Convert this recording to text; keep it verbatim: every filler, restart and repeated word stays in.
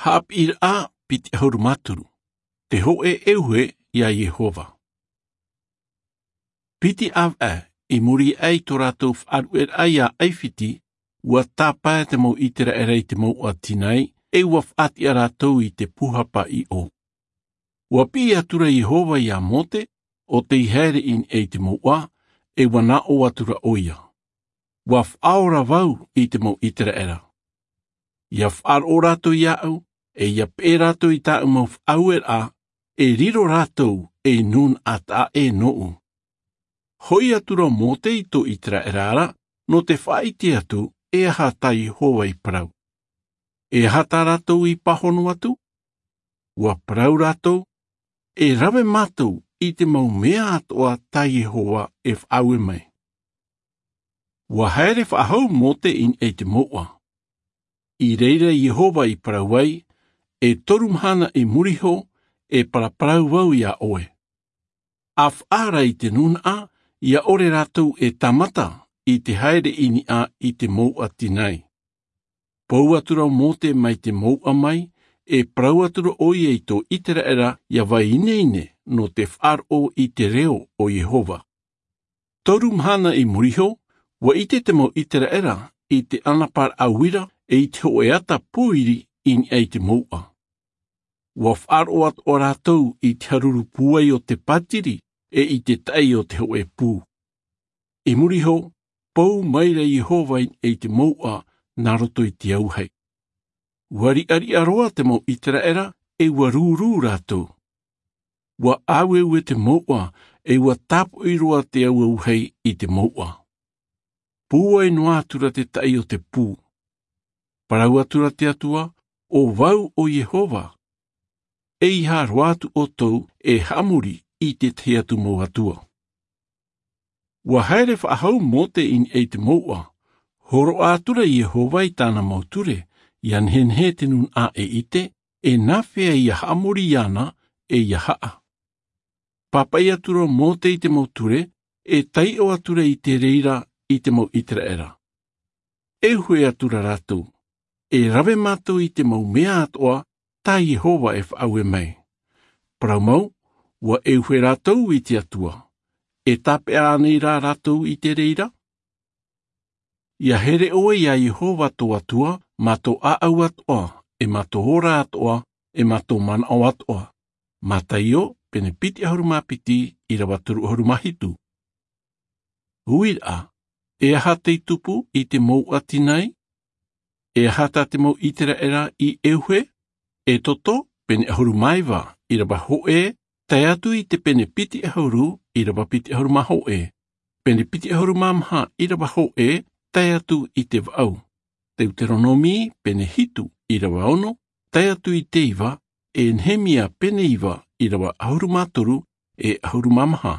Haʻapiʻiraʻa piti ʻahuru mā toru. Te hōʻē ʻeuhe iā Iehova. Piti ʻāvaʻe, i muri aʻe i tō rātou faʻaruʻeraʻa iā ʻAifiti, ua tāpae te mau ʻĪteraʻera i te mouʻa Tinai, ʻe ua faʻatiʻa rātou i te pūhapa ʻiʻo. Ua piʻi atura Iehova iā Mōte, ʻo tei haere i niʻa i te mouʻa, ʻe ua nā ʻō atura ʻoia: Ua faʻaora vau i te mau ʻĪteraʻera. ʻIa faʻaroʻo rātou iāʻu, ʻe ʻia peʻe rātou i tāʻu mau faʻaueraʻa, e riro rātou ei nūnaʻa taʻa ʻē nōʻu. Hoʻi atura ʻo Mōte i tō ʻĪteraʻera ra, nō te faʻaʻite atu, e aha tā Iehova i parau. E aha tā rātou i pāhono atu? Ua parau rātou: E rave mātou i te mau mea atoʻa tā Iehova e faʻaue mai. Ua haere faʻahou Mōte i niʻa i te mouʻa. I reira Iehova i parau ai: E toru mahana i muri iho, e paraparau vau iā ʻoe. ʻA faʻaara i te nūnaʻa, ʻia ʻore rātou e tāmata i te haere i niʻa i te mouʻa Tinai. Pou atura ʻo Mōte mai te mouʻa mai, e parau atura ʻoia i tō ʻĪteraʻera ʻia vai ineine nō te faʻaroʻo i te reo o Iehova. Toru mahana i muri iho, ua ʻite te mau ʻĪteraʻera i te ʻanaparaʻa uira ʻe i te hōʻē ata pōiri i niʻa i te mouʻa. Ua faʻaroʻo atoʻa rātou i te haruru pūai o te pātiri ʻe i te taʻi o te hōʻē pū. I muri iho, pou maira Iehova i niʻa i te mouʻa nā roto i te auahi. Ua riʻariʻa roa te mau ʻĪteraʻera ʻe ua rūrū rātou. Ua ʻāueue te mouʻa, ʻe ua tāpoʻi roa te auahi i te mouʻa. Pūai noa atura te taʻi o te pū. Parau atura te Atua: ʻO vau ʻo Iehova. ʻEiaha roa atu ʻoutou e haʻamori i te tahi atu mau atua. Ua haere faʻahou Mōte i niʻa i te mouʻa. Hōroʻa atura Iehova i tāna mau ture, ʻia nehenehe te nūnaʻa e ʻite, e nāfea ʻia haʻamori iāna, ʻe ʻia haʻa. Pāpaʻi atura ʻo Mōte i te mau ture, e taiʻo atura i te reira i te mau ʻĪteraʻera. E ʻeuhe atura rātou, e rave mātou i te mau mea atoʻa tā Iehova e faʻaue mai. Parau mau, ua ʻeuhe rātou i te Atua. E tāpeʻa ānei rā rātou i te reira? ʻIa here ʻoe iā Iehova tō Atua, mā tō ʻāʻau atoʻa, ʻe mā tō ora atoʻa, ʻe mā tō manaʻo atoʻa. Mataio, pene piti ʻahuru mā piti, ʻīrava toru ʻahuru mā hitu. Uiraʻa, e aha tei tupu i te mouʻa Tinai? E aha tā te mau ʻĪteraʻera i ʻeuhe? ʻEtoto, pene ʻahuru mā iva, ʻīrava hōʻē, tae atu i te pene piti ʻahuru, ʻīrava piti ʻahuru mā hōʻē. Pene piti ʻahuru mā maha, ʻīrava hōʻē, tae atu i te vaʻu. Teuteronomi, pene hitu, ʻīrava ono, tae atu i te iva, ʻe Nehemia, pene iva, ʻīrava ʻahuru mā toru, ʻe ʻahuru mā maha.